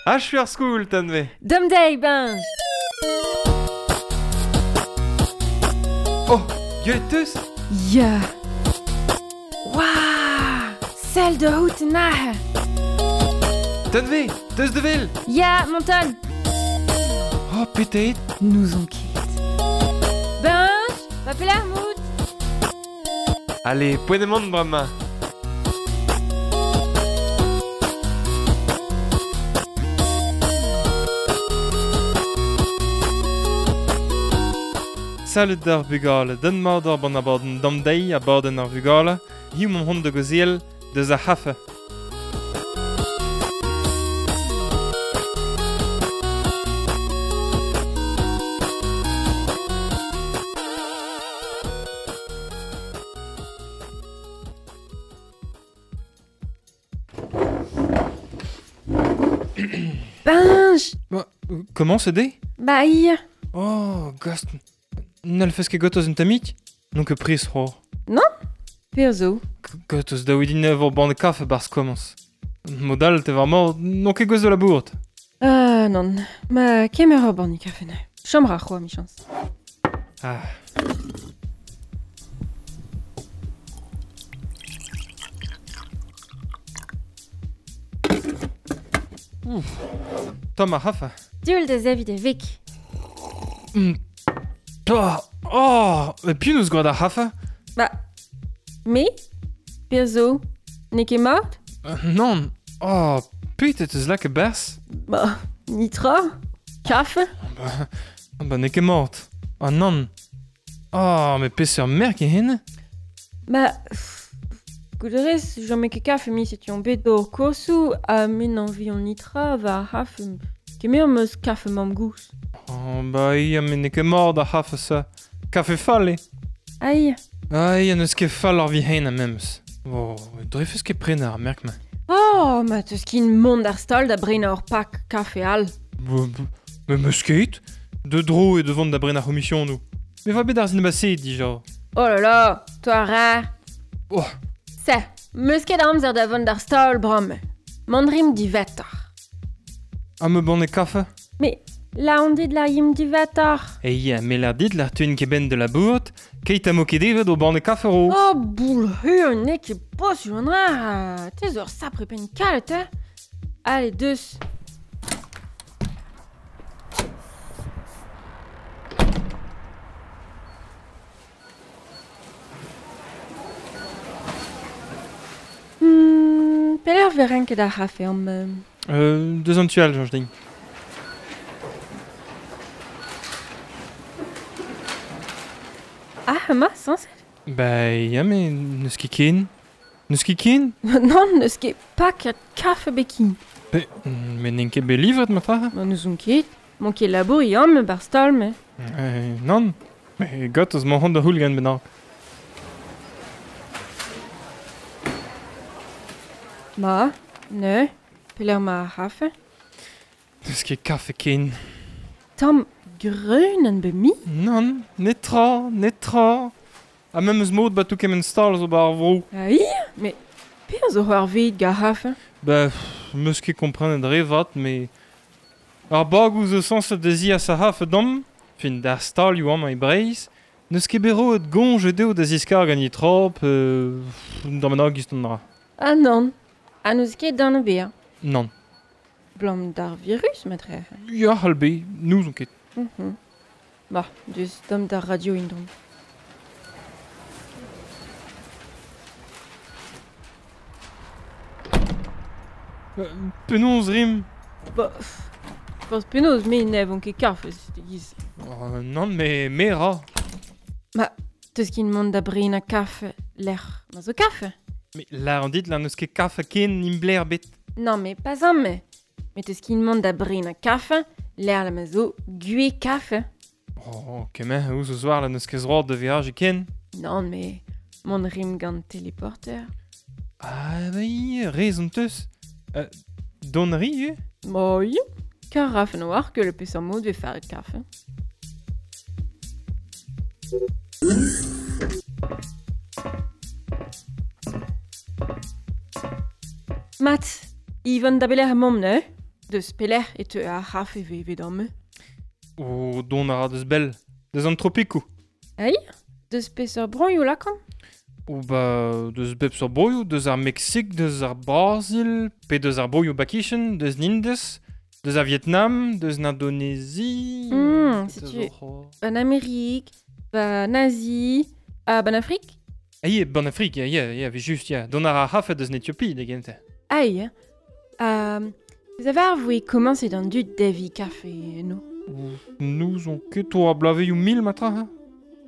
Achu ar skol, Tanve. Dom deiz, Benj. Oh, gwelet teus? Ya. Waouh! Sell da out aze. Tanve, teus da wel? Ya, Monton. Oh, petet. N'ouzon ket. Benj, va pelec'h mout? Allez, poent emaon bremañ. Salud d'ar vugale, den mat ur ban abadenn dam deiz abadenn ar vugale, hiziv emaomp hont da gaozeal deus ar c'hafe. Benj! Bah, comment c'est dé? Bah, ya. Oh, gast, n'hallfes ket gortoz un tammig? N'on ket prest c'hoazh. Perzh zo? Gortoz daou din ur banne kafe 'barzh komañs. Mod all, te war mort, n'on ket gouest da labourat. Ah, nann. Ma kemer ur banne kafe neuze. Chom ra c'hoazh, 'michañs. Ah. Ouf. Tomm ar c'hafe. Dioull da zeviñ da veg. Oh, oh, met piv 'neus gwraet ar c'hafe? Ba, me? Perzh zo? N'eo ket mat? Nann. Oh, petra 'teus lakaet 'barzh? Ba, nitra. Kafe? Ba, ba n'eo ket mat. Ah nann. Oh, met peseurt merk eo hennezh? Ba, goût a rez, chom ket kafe mi setu on bet d'ober koursoù ha me n'anvion nitra war ar c'hafe. Kemer 'm eus kafe mamm-gozh. Oh, ba ya, met n'eo ket mat ar c'hafe-se. Kafe fall eo. Aïe. Ah ya, n'eus ket fall ar vihan memes. Oh, drefes ket prenañ ar merk-mañ. Oh, ma teus ket mont d'ar stal da brenañ ur pak kafe all. Me 'meus ket. De dro eo da vont da brenañ ar c'homisionoù. Me va bet ar sin dija. Oh là là, toi ra. Oh. Se, 'meus ket amzer da vont d'ar stal bremañ. Mont 'rimp diwezhatoc'h. Ha me banne kafe? Mais la on dit la yim diwezhatoc'h. E ya, me lâr dit lâr teuin ket benn da labourat, keit ha mo ket evet o banne kafe ro. Oh, boul hur, n'eo ket posubl an dra. Te zo ur sapre penn kalet, hein. Allez, deus. Pelec'h 'vez renket ar c'hafe amañ? Deus an tu all, soñj din. Ah, emañ, sañset? Ba ya, met n'eus ket ken. N'eus ket ken? Nann, n'eus ket paket kafe ebet ken. Pe, met n'int ket bet livret marteze? Ma n'ouzon ket. M'on ket labour ya, me 'barzh stal, me. Nann. Met gortoz 'mañ c'hoant da c'houll gant bennak. Ma, neuze, pelec'h 'ma ar c'hafe? N'eus ket kafe ken. Tamm greunenn bet mui? Nann, netra, netra. Ha memes mod 'ba tout kement stal zo 'ba ar vro. Ah ya, met penaos zo c'hoarvezet gant ar c'hafe? Ba, 'meus ket komprenet re vat, met ar bagoù zo sañset da zias ar c'hafe deomp, fin d'ar stalioù amañ e Breizh, n'eus ket bet roet goñj dezho da ziskargañ netra pe d'an bennak gist an dra. Ah nann, ha n'eus ket anv bezañ. Nann. Blam d'ar virus matre. Ya, c'hall bet, n'ouzon ket. Bah, deus tomm d'ar radio en-dro. Penaos rimp? Bah, forzh penaos, me n'evon ket kafe, e-giz. Oh, nann, me, me ra. Ma, teus ket mont da brenañ kafe lec'h ma zo kafe? Mais lâr an dit, là n'eus ket kafe ken imbler bet. Non, mais pas amañ. Met teus ket mont da brenañ kafe lec'h ma zo gwez kafe. Oh, kement ouzh o zoar là n'eus ket zroad da veajiñ ken. Non, mais mont rimp gant téléporteur. Ah, oui, rezon teus. Dont a ri ivez? Bah oui, kar rafen war que le peseurt mod 'vez faret kafe. Mat, Yvonne da belec'h emaomp neuze? Deus pelec'h e teu ar c'hafe ve d'an me. O don a ra deus bell, deus an tropikoù. Ai Deus peseurt broioù lakan? O ba, deus bep seurt broioù, deus ar Meksik, deus ar Brazil, pe deus ar broioù bakichen, deus Nindes, deus ar Vietnam, deus l'Indonésie... Setu ban Amérique, ban Asie, ha ban Afrique? Ah, ban Afrique, ya, just, ya. Don ar c'hafe deus n'Ethiopie, da gentañ. Aïe. Vous avez avoué comment c'est dans du devi café, no? Nous on ket o a blaveioù mil matra, ha?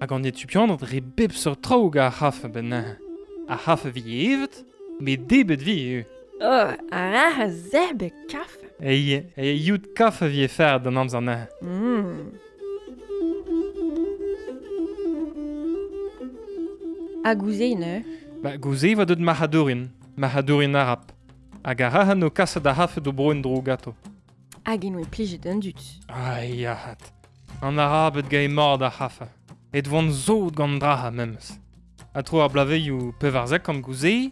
Hag an Etiopianed re bep seurt traoù gant ar c'hafe ben ar c'hafe vi evet, met debet vi eo. Oh, ar a zerbe kafe. Ei, yout kafe vi e fer d'an amzer na. Ha gouze, ne? Ba, gouze va deut marc'hadourien arab. Hag ar rahan o kaset ar c'hafe d'o bro en dro gato. Hag en oe plijet an dud. Ai, ahat. An arabed gae mort ar c'hafe. Et vont zod gant draha memes. A tro ar blaveioù pevarzek an gouze,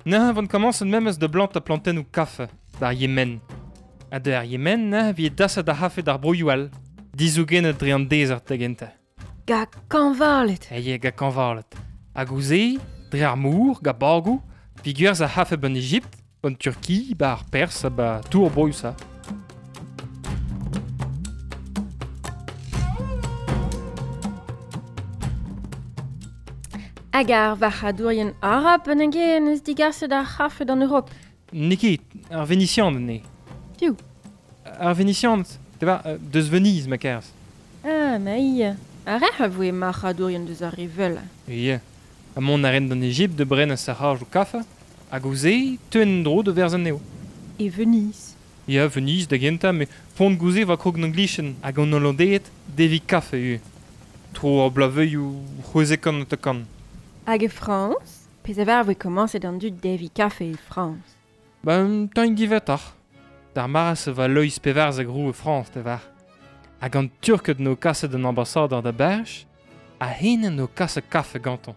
neuze vont komañset memes de blant a plantennoù kafe, d'ar Yemen. Ha de ar Yemen neuze vi dasset ar c'hafe d'ar broioù all, dizougenet dre an dezert da gentañ. Ga kañvalet. Aie, ga kañvalet. Ha gouze, dre ar mour, ga bagoù, vi gwerzh ar c'hafe ban Ejipt, ban Turki, ba ar Perse, ba tour broioù sa. Hag ar varc'hadourien arab an en eus digaset ar c'hafe d'an Europe. N'eo ket, ar Venisianed ne. Piv? Ar Venisianed, te ba, deus Venise ma kerz. Ah, ma ia. Ar rec'h a voe marc'hadourien deus ar revel. Ia. Ha mont a ren d'an Ejipt de bren a sac'haj o kafe, hag gouze, teuen dro de verz anezho. E Venise. Ia, Venise da gentañ, met pont gouze va krog d'an glichen hag an Hollandeed devi kafe eo. Tro ar blaveioù c'hwezek an ta kan. Hag e Frañs, pezh a var voe komañset an dud devi kafe e Frañs. Ben, tañ divetoc'h. D'ar maras va Loeiz pevarzek roue e Frañs, te var. Hag an Turked no kaset an ambasador da Berch, a henen no kaset kafe gantañ.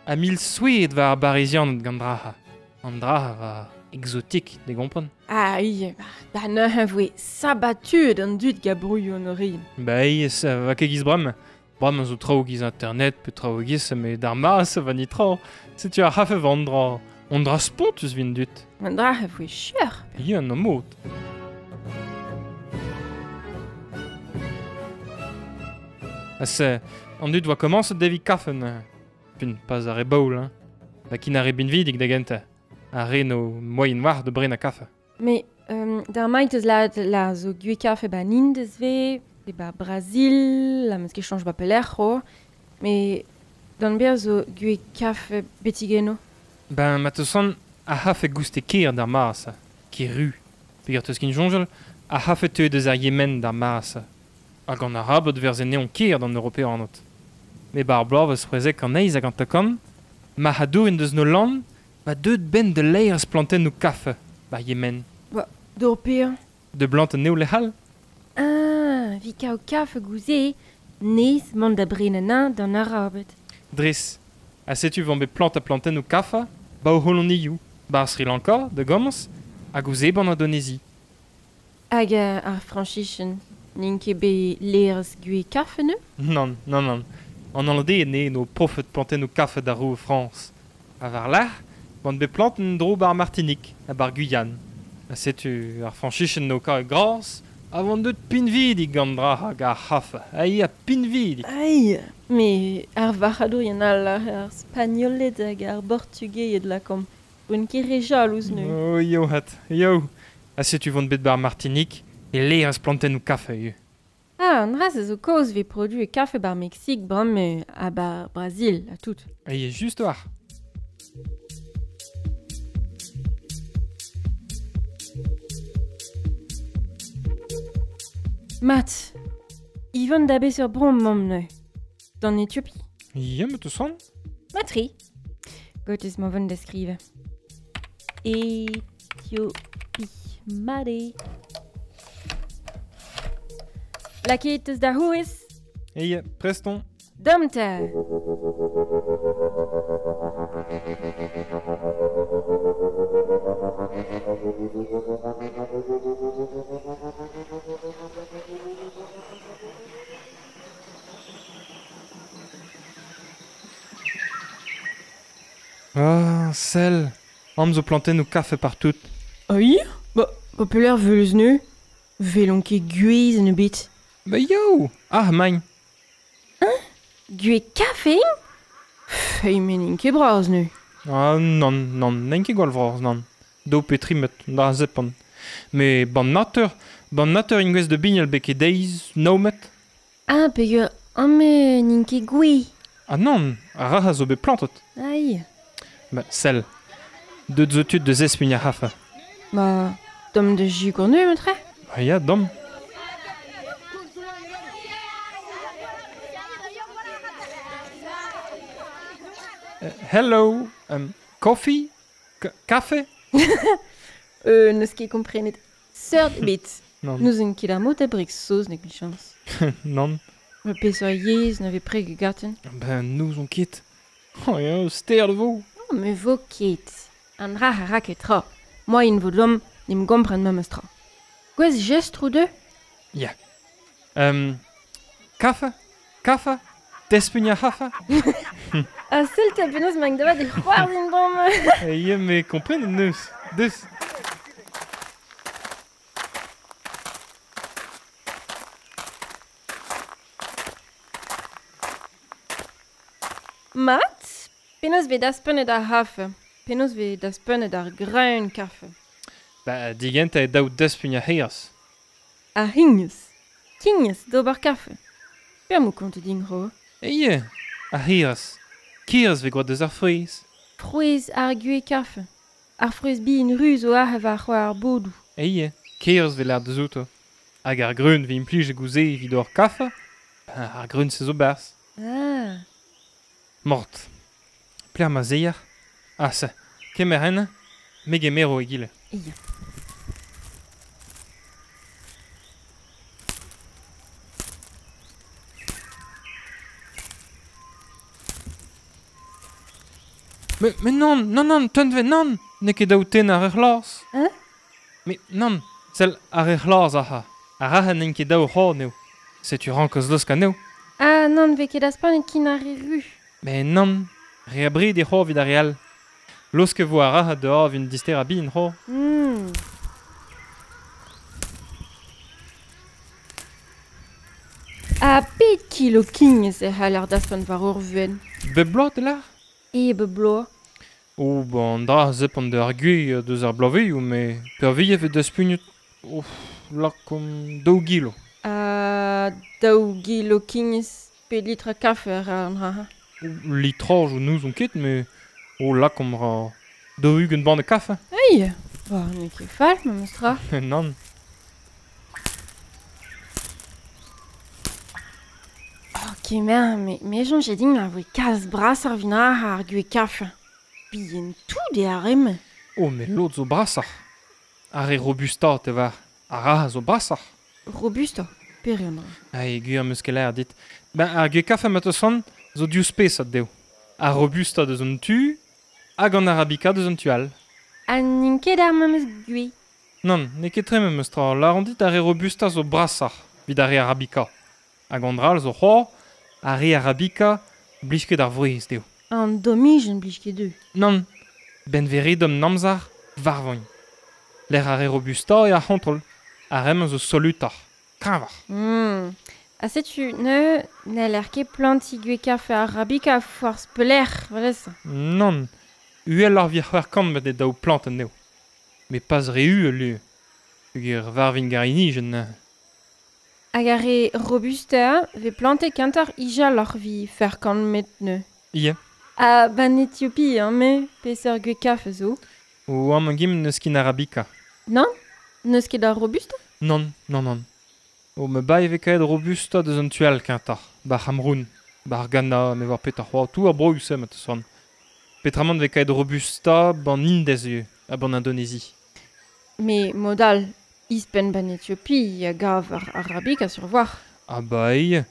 A mil souet war ar Barizianed gant draha. An draha va exotik, de gompren. Ah, ie, da neuze voe sabatuet an dud ga brouilhoù an orin. Ba, ie, va ket giz bremañ. Bremañ zo traoù giz internet pe traoù giz, met d'ar maras va ni traoù. Setu ar c'hafe va an dra. An dra spontus vin dud. An dra a voe cheur. Ie, an mod. Ha se, an dud oa komañset devi kafe neuze. Pun pas ar re baoul, hein. Da kin ar re binvidik da gentañ. Ar re no moyen war de brenañ kafe. Mais d'ar maint eus la zo gwe kafe ba Indez ve, pe ba Brazil, la meus ket chañj ba pelec'h c'ho. Mais d'an ber zo gwe kafe betigeno. Ben, ma teus an a c'hafe gouste ker d'ar maras, ker ru. Peogwir teus kin soñjal, a c'hafe teu deus ar Yemen d'ar maras. Hag an arabed verze neon ker d'an Europeanot. Me bar bloavezh c'hwezek an eizh hag an takan, marc'hadourien deus no land, ba deut ben de leirez plantennoù kafe, bar Yemen. Ba, d'ur pir. De blant an eo lec'hal. Ah, vi kao kafe gouze, nez mont da brenañ d'an arabed. Dres, ha setu vant bet plant a plantennoù kafe, ba o holonioù, ba Sri Lanka, de gomañs, hag gouze ban Indonésie. Hag ar Frañsichen, n'int ket bet leirez gwe kafe ne? Nann, nann, nann. An Hollandais ne no profet plantennoù kafe d'ar roue Frañs. Ha war lerc'h, vant bet planten dro bar Martinique, ha bar Guyane. Ha setu ar Frañsichen no ka gras, a vant deut pinvidik gant dra hag ar c'hafe. Ai a pinvidik. Ai, me ar varc'hadourien all ar Spagnoled hag ar Bortugaied lakomp. Voent ket re jalouz neu. Oh, yo hat, yo. Ha setu vant bet bar Martinique, e leirez plantennoù kafe eo. Ah, an dra se zo kaoz vez produ e kafe bar Meksik bremañ ha bar Brazil, ha tout. Ai, just war. Mat, Yvonne da beseurt bro mamm neuze. D'an Ethiopie. Ya, ma teus c'hoant. Matri. Gotez ma vont da skrivañ. Ethiopie. Mat eo. Lakaet eus da c'hourez. Ei, prest on. Damte! Ah, sell, am zo plantennoù kafe partout. Oi? Ba, ba pelec'h veulez neu? Velon ket gwez en ebet. Ba yo! Ah, magn. Hein? Gwez kafe int? Fei men int ket bras neu. Ah, nann, nann, n'int ket gwall vras, nann. Daou pe tri met, da zepan. Me ban natur, ban natur int gwez de bignal beke deiz, nav met. Ah, peogwir amañ n'int ket gouez. Ah nann, ar rac'h a zo bet plantet. Aïe. Ba, sell. Deut zo tud da zespiñ ar c'hafe. Ba, domm da sikour neu, matre. Ba ya, domm. Hello, coffee? Kafe? N'eus ket komprenet seurt ebet. Nann. N'ouzon ket ar mod da breg saozneg, michañs. Nann. Ma peseurt yezh na vez preg gaten? Ben, n'ouzon ket. Oh, ya, ster vo. Oh, me vo ket. An dra a ra ket tra. Moaien vo deomp n'em gompren memes tra. Gwez jestr ou deux? Ya. Kafe? Kafe? Despugn ar c'hafe? Ha sell 'ta penaos emañ da vat e c'hoarzhin bremañ. Ya, me komprenet neus. Deus. Mat, penaos vez daspenet ar c'hafe? Penaos vez daspenet ar greun kafe? Ba, digentañ eo daou daspugn ar c'hiras. Ar c'hignez. Kignez d'ober kafe. Petra 'mo kontet din ro? Eo, ar c'hiras. Kiras vez gwraet deus ar frouezh. Frouezh ar gwez kafe. Ar frouezh bihan ruz zo aze war ar bodoù. Eo, kiras vez lâret deus outo. Hag ar greun vez implijet gouze evit ober kafe. Ar greun-se zo 'barzh. Ah. Mort. Pelec'h ma zeier? Ah, se. Kemer en, me gemero egile. Ya. Mais nann, nann, nann, teunve, nann! N'eo ket daou tenn ar re c'hlas. Hein? Mais nann, sell ar re c'hlas ac'ha. Ar rac'h n'int ket daou c'horn eo. Setu rankoz laosk anezho. Ah, nann, vez ket aspanet kin ar re ru. Mais nann, re abred e c'hor evit ar re all. Laosk e vo ar rac'h dehors evit un dister a bin c'hor. Ha pet kilo kignez e c'haller daspan war ur vuenn? Bep bloaz, te lâr? E bep bloaz. Oh, ba an dra a zepant ar gwez deus ar bloavezhioù, met peurvuiañ e vez daspugnet, oh, lakaomp daou gilo. Ha daou gilo kignez pe litr a kafe a ra an dra-se? Litrajoù n'ouzon ket, met oh, lakaomp ra 40 banne kafe. Ei, ba n'eo ket fall memes tra. Nann. Oh, kemer, me soñj din a voe kalz brasoc'h evit ar gwez kafe. Bihan tout eo ar re-mañ. Oh, met lod zo brasoc'h. Ar re robustañ, te war. Ar ra zo brasoc'h. Robustañ, pere an dra? Ah, gwir am eus ket lâret dit. Ben, ar gwez kafe ma teus c'hoant zo div spesad dezho. Ar robustañ deus an tu hag an arabica deus an tu all. Ha n'int ket ar memes gwez. Nann, n'eo ket tre memes tra. Lâran dit ar re robustañ zo brasoc'h evit ar re arabica. Hag an dra all zo c'hoazh, ar re arabica blij ket ar vouezh dezho. An domijenn blij ket dezho. Nann, ben veredom namzar varvoñ. Lec'h ar re robustañ eo ar c'hontrol. Ar re-mañ zo solutoc'h, kreñvoc'h. Ha setu neuze n'heller ket plantiñ gwez kafe arabica forzh pelec'h, valez. Nann, uheloc'h evit 600 met eo daou plant anezho. Met pas re uhel eo. Peogwir varvin garinijenn neuze. Hag ar re robustañ vez plantet kentoc'h ijaloc'h evit 600 met neuze. Ya. Ha ban Ethiopie, hein, me, peseurt gwez kafe zo? O amañ gim n'eus ket arabica. Nann? N'eus ket ar robusta? Nann, nann, nann. O me bae vez kaet robusta deus an tu all kentoc'h, ba C'hamroun, ba ar Ghana, me war petra c'hoazh, tout ar broioù-se ma teus c'hoant. Petramant vez kaet robusta ban Indez ivez, ha ban Indonésie. Mais mod all, ispenn ban Ethiopie a gav ar arabica sur voir. Ah ba eo,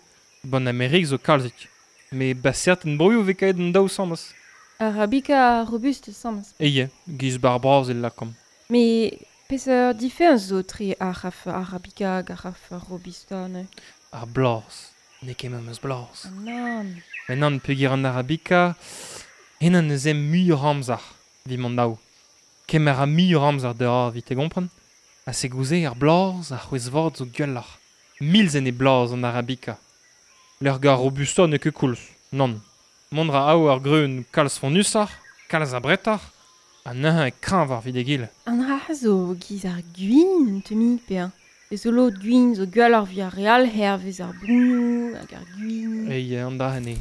ban Amerik zo kalzik. Me ba certain broioù vez kaet an daou samas. Arabica robuste samas. Eie, giz bar bras el lakom. Me peseurt diferenz zo tre ar c'haf arabica hag ar c'haf robusta ne? Ar blaz. N'eo ket memes blaz. Nann. Met nann peogwir an arabica, henan eus em muioc'h amzer, evit mont daou. Kemer a muioc'h amzer da evit te gompren. Ha se gouze ar blaz, ar c'hwezh vat zo gwelloc'h. Milzen e blaz an arabica. Lec'h gar robusta n'eo ket koulz, nann. Mont ra ao ar greun kalz fonnusoc'h, kalz abretoc'h, ha neuze e kreñvoc'h evit egile. An dra zo giz ar gwin un tammig pe Eus zo lod gwin zo gwelloc'h evit ar re all hervez ar broioù hag ar gwin. Ei, an dra eo.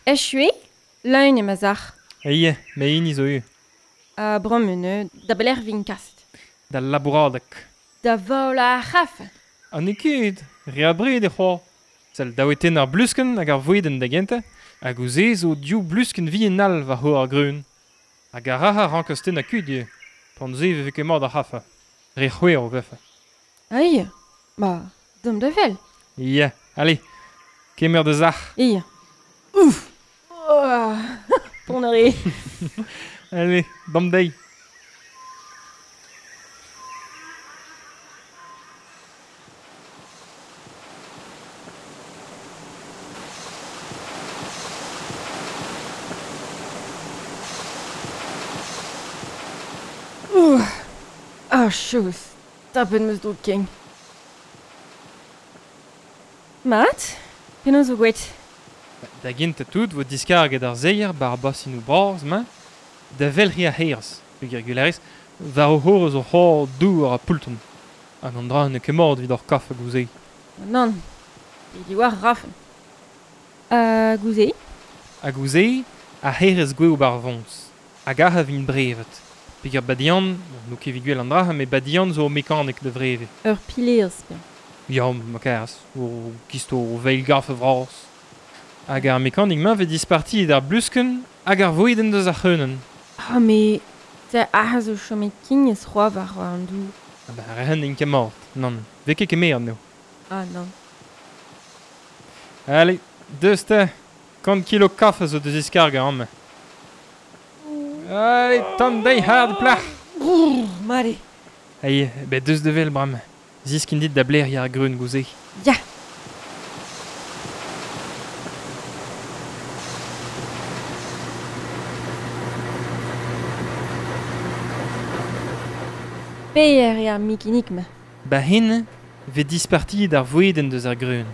Echu eo, leun eo ma sac'h. Ei, me hini zo eo. Ha bremañ da belec'h vin kaset. Da labouradeg. Da vol ar c'haf. Ha n'eo ket, re abred eo c'hoazh. Sell daouetenn ar bluskenn hag ar vouedenn da gentañ, hag ouzh se zo div bluskenn vihan all war c'hor ar greun. Hag ar rac'h a rankas tennañ kuit ivez. Pan se e vefe ket mat ar c'haf. Re c'hwezh o vefe. Ai, ba, deomp da wel. Ya, allez, kemer da sac'h. Ya. Ouf. Oh, ponner eo. Allez, damp dezhi. Ouh. Ah, chose. Tapet 'm eus droug kein. Mat, penaos zo gwet? Da gentañ tout vo diskarget ar seier bar basinoù bras-mañ da welc'hiñ ar c'herz, peogwir gwellerez, war o c'horr zo c'hor dour ha poultr. Hag an dra n'eo ket mat evit hor kafe gouze. Nann, e diwar rafen. Ha gouze? Ha gouze, ar c'herez gwev bar voñs. Hag ac'h a vin brevet. Peogwir badian, n'eo ket evit gwell an dra, met badian zo ur mekanik da vreviñ. Ur pilerez, bien. Ya, ma karas, o gisto o veil gafe vras. Hag ar mekanik-mañ vez dispartiet ar bluskenn hag ar vouedenn deus ar c'hreunenn. Ah, met te ac'h zo chomet kignez c'hoazh war an dour. Ah ben, ar c'hen int ket mat, nann. Vez ket kemeret anezho. Ah, nann. Allez, deus te, 100 kilo kafe zo da ziskargañ amañ. Allez, tamm dezhi hard plac'h. Mat eo. Ai, bet deus da wel bremañ. Ziskin dit da bleriañ ar greun gouze. Ya. Peer eo ar mikinik-mañ. Ba hen vez dispartiet ar vouedenn deus ar greun.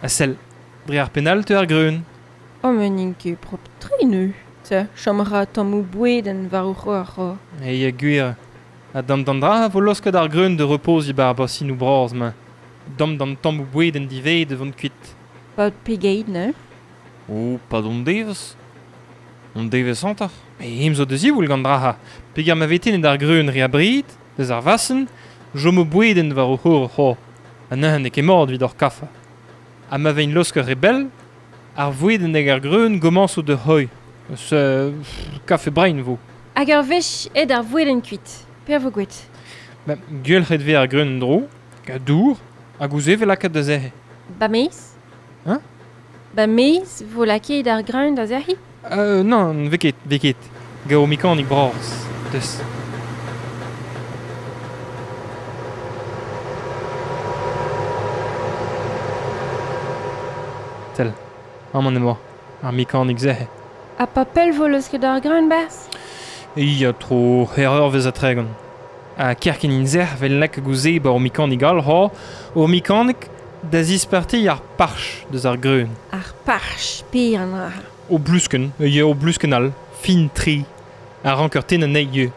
Ha sell, dre ar penn all teu ar greun. Oh, met n'int ket propr-tre neuze. Te, chom a ra tammoù bouedenn war o c'hor c'hor. Ei, gwir. Ha dam d'an dra vo losket ar greun da repoziñ bar basinoù bras-mañ. Dam d'an tammoù bouedenn divez da vont kuit. Paotr pegeit neuze? Oh, pad on devezh. On devezh hanter. Met em zo da ziwall gant dra. Peogwir ma vez tennet ar greun re abred, deus ar vasenn, chomo bouedenn war o c'hor c'hor. Ha neuze n'eo ket mat evit hor kafe. Ha ma vein laosk re bell, ar vouedenn hag ar greun gomañso da c'hoiñ. Se kafe brein vo. Hag ur wech aet ar vouedenn kuit. Per vo gwet? Ba, gwellc'het vez ar greun en-dro, gant dour, hag ouzh e vez lakaet da sec'hiñ. Ba maez? Hein? Ba maez vo lakaet ar greun da sec'hiñ? Nann, vez ket, vez ket. Gant o mekanik bras. Deus. Sell, amañ emañ, ar mekanik sec'hiñ. Ha pa pell vo leusket ar greun barzh? Ya, tro c'hwec'h eurvezh ha 30. Ha kerkent int sec'h 'vel lakaet gouze ba ur mekanik all ha ur mekanik da zispartiñ ar parch deus ar greun. Ar parch, pe an dra. O bluskenn, ya, o bluskenn all, fin-tre. A rank ur tenn anezhi ivez.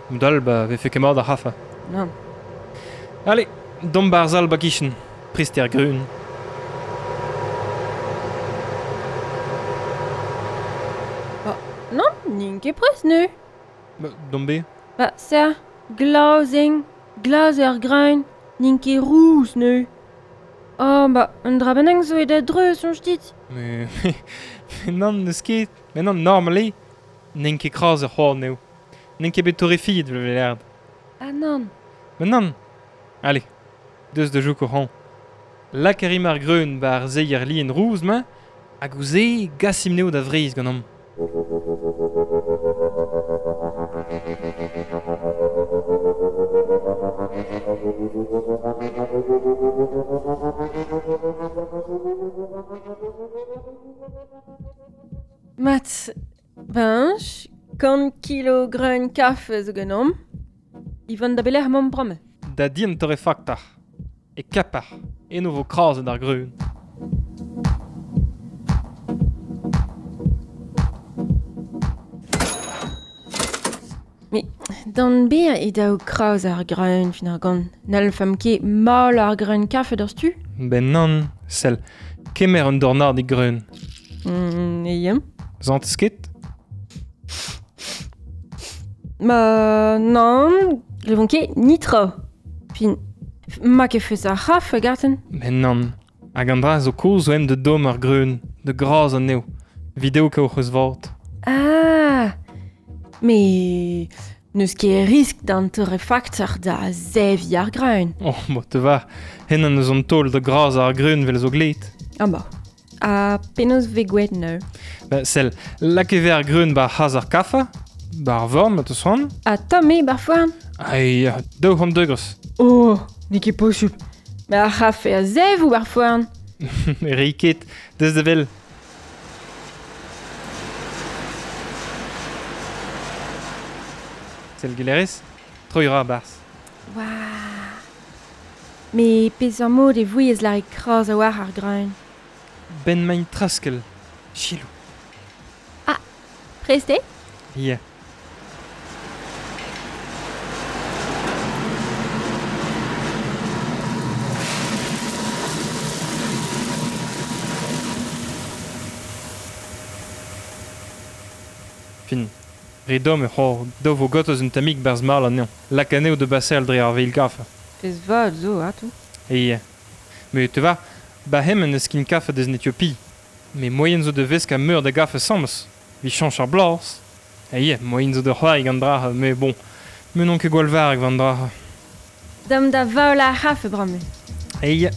Mod-all, ba vefe ket mat ar c'hafe. Nann. Allez, domp barzh al ba kichen, prest eo ar greun. Nann, n'int ket prest neuze. Ba, domp bet. Ba, serr, glas eo, glas eo ar greun, n'int ket rous neuze. Oh, ba, un dra bennak zo aet a-dreuz, soñj dit. Mais, mais nann, n'eus ket. Mais nann, normal eo. N'int ket kras ar c'hoar anezho. N'en ket bet torrefiet vel velerd. Ah nann. Ma nann. Allez, deus da jouk o ran. Lak a rim ar greun ba ar zeier lien rouz ma, hag ouzh e gasim neo da Vreizh ganeomp. Mat, bench, kant kilo greun kafe zo ganeomp. Ivan da belec'h emaomp bremañ. Da di an torrefaktar. E Kapar, eno vo krazet ar greun. Mais d'an ber e daou kraz ar greun fin ar gant. N'hallfemp ket mal ar greun kafe d'ar stu? Ben nann, sell, kemer un dornad e greun. E Zantez ket? Ma nann, glevon ket nitra. Fin, ma ket feus ar c'haf garten. Ben nann, hag an dra zo koz zo em de dom ar greun, de graz an eo. Video ka oc'h eus vat. Ah, mais n'eus ket risk d'an torrefaktor da zevi ar greun. Oh, bo te va, hen an eus an taol de graz ar greun vel zo glet. Ah ba, ha penaos ve gwet neu. Ba, sell, lak e ve ar greun ba c'haz ar kafa, ba ar vorn, ma teus c'hoant. Ha tomm eo bar foarn. Ai, 200 degrez. Oh, n'eo ket posupl. Ma ar c'hafe a zev ou bar foarn. Ri ket, deus da vel. Sell gelerez, troi ra a-barzh. Waouh. Mais peseurt mod e vouiez lâret kraz a-walc'h ar greun. Ben maint traskel. Chilou. Ah, prest eo? Ya. Fin. Re domm e c'hor daou vo gotoz un tammig barzh mal anezhañ. Lak anezho da baseal dre ar veil kafe. Pezh vat zo, ato. E Mais te va, ba hem en eus kin kafe deus en Ethiopie. Mais moyen zo da veskañ meur da gafe asambles. Vi chañch ar bloaz. E moyen zo da c'hoari gant dra, mais bon, me n'on ket gwall varrek gant dra. Dam da vaol ar c'hafe bremañ. E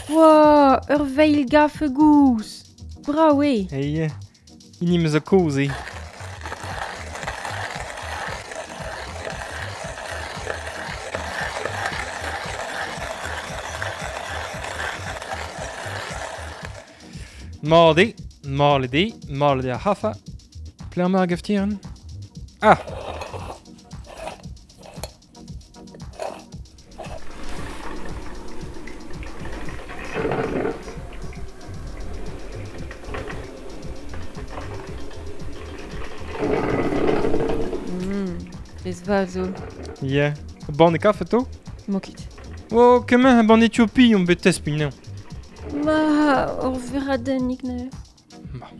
Wow, ur veil gafe gouz. Brav eo. E hini meus a kozh eo. Mat eo, malet eo, malet eo ar c'hafa. Pelec'h emañ ar gaftieren? Ah! Pezh vat zo. Ya. Banne kafe to? Mo ket. Oh, kement a banne Ethiopie on bet tespign anezhañ. Ma, ur veradennig neuze. Ma.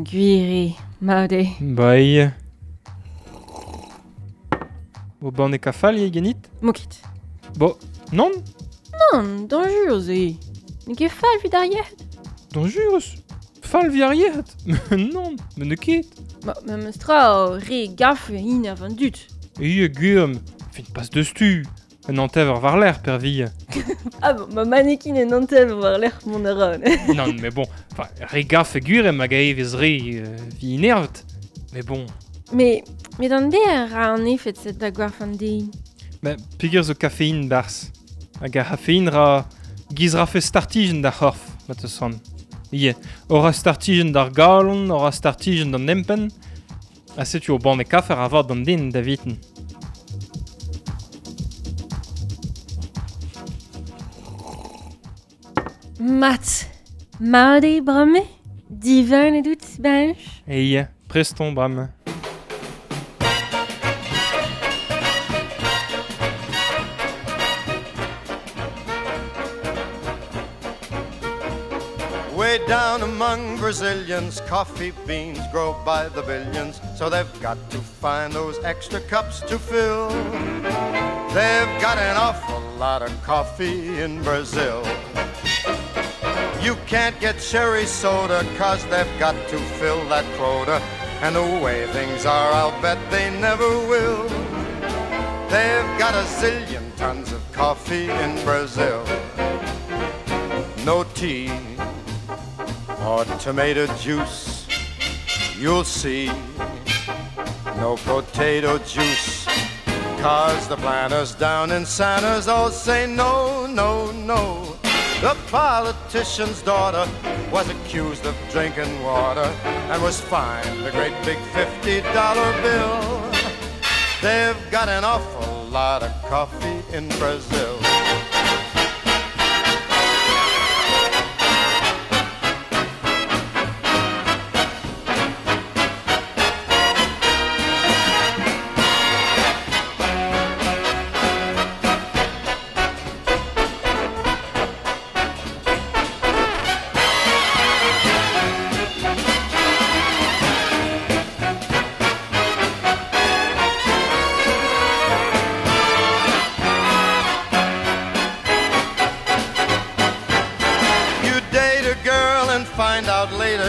Gwir eo, mat eo. Ba eo. O banne kafal eo ganit? Mo ket. Bo, nann? Nann, dañjurus eo. N'eo ket fall evit ar yec'hed. Dañjurus? Fall evit ar yec'hed? Nann, me n'eo ket. Ma, memes tra, re gafe hini an dud. Eo, gwir, fin pas deus tu. Un hanter war-lerc'h, pervia. Ah bon, ma mannequin en hanter war-lerc'h mont a ran. Nann, mais bon, enfin, re gafe gwir hag a evez re vi inervet. Mais bon. Mais d'an der ra an efed set da gwarf an den. Ma, peogwir zo kafein barzh. Hag ar c'hafein ra giz rafe startijenn d'ar c'horf, ma teus c'hoant. Ie, ora startijenn d'ar galon, ora startijenn d'an empenn. Ha setu o banne kafer a vat d'an den da viten. Mat, mat eo bremañ? Divin e dout, bench? E prest on bremañ. Down among Brazilians, coffee beans grow by the billions, so they've got to find those extra cups to fill. They've got an awful lot of coffee in Brazil. You can't get cherry soda, cause they've got to fill that quota. And the way things are, I'll bet they never will. They've got a zillion tons of coffee in Brazil. No tea or tomato juice, you'll see. No potato juice, cause the planters down in Santa's all say no, no, no. The politician's daughter was accused of drinking water and was fined a great big $50 bill. They've got an awful lot of coffee in Brazil.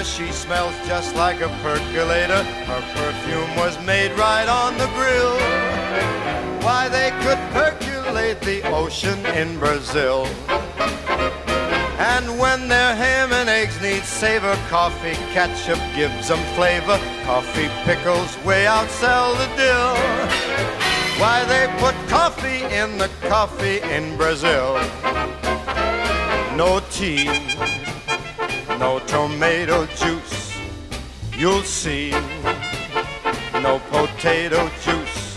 She smells just like a percolator. Her perfume was made right on the grill. Why, they could percolate the ocean in Brazil. And when their ham and eggs need savor, coffee ketchup gives 'em flavor. Coffee pickles way outsell the dill. Why, they put coffee in the coffee in Brazil. No tea, no tomato juice, you'll see. No potato juice.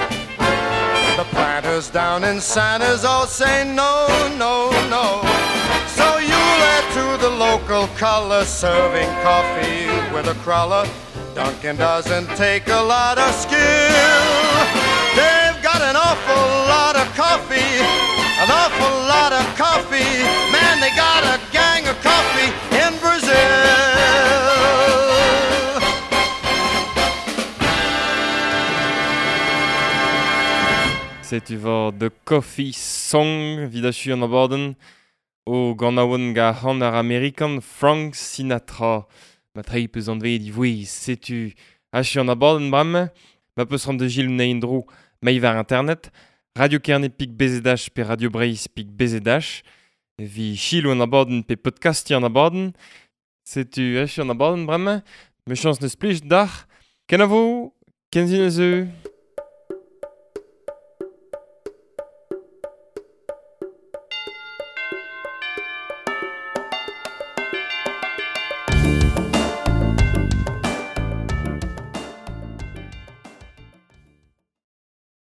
The planters down in Santa's all say no, no, no. So you'll add to the local color, serving coffee with a cruller. Dunkin' doesn't take a lot of skill. They've got an awful lot of coffee, an awful lot of coffee. Man, they got a gang of coffee in Brazil. Setu vor The Coffee Song vidachu an abadenn o ganaouenn ga c'han ar Amerikan Frank Sinatra. Ma trei peus anveet ivouez, setu achu an abadenn bremañ, ma peus ran de Gilles Neindro mei war internet, Radio Kerne pik BZH pe Radio Breizh pik BZH, vi chilo an abadenn pe podcasti an abadenn, setu achu an abadenn bremañ, me chans neus plij d'ar, kenavo, kenzin eus.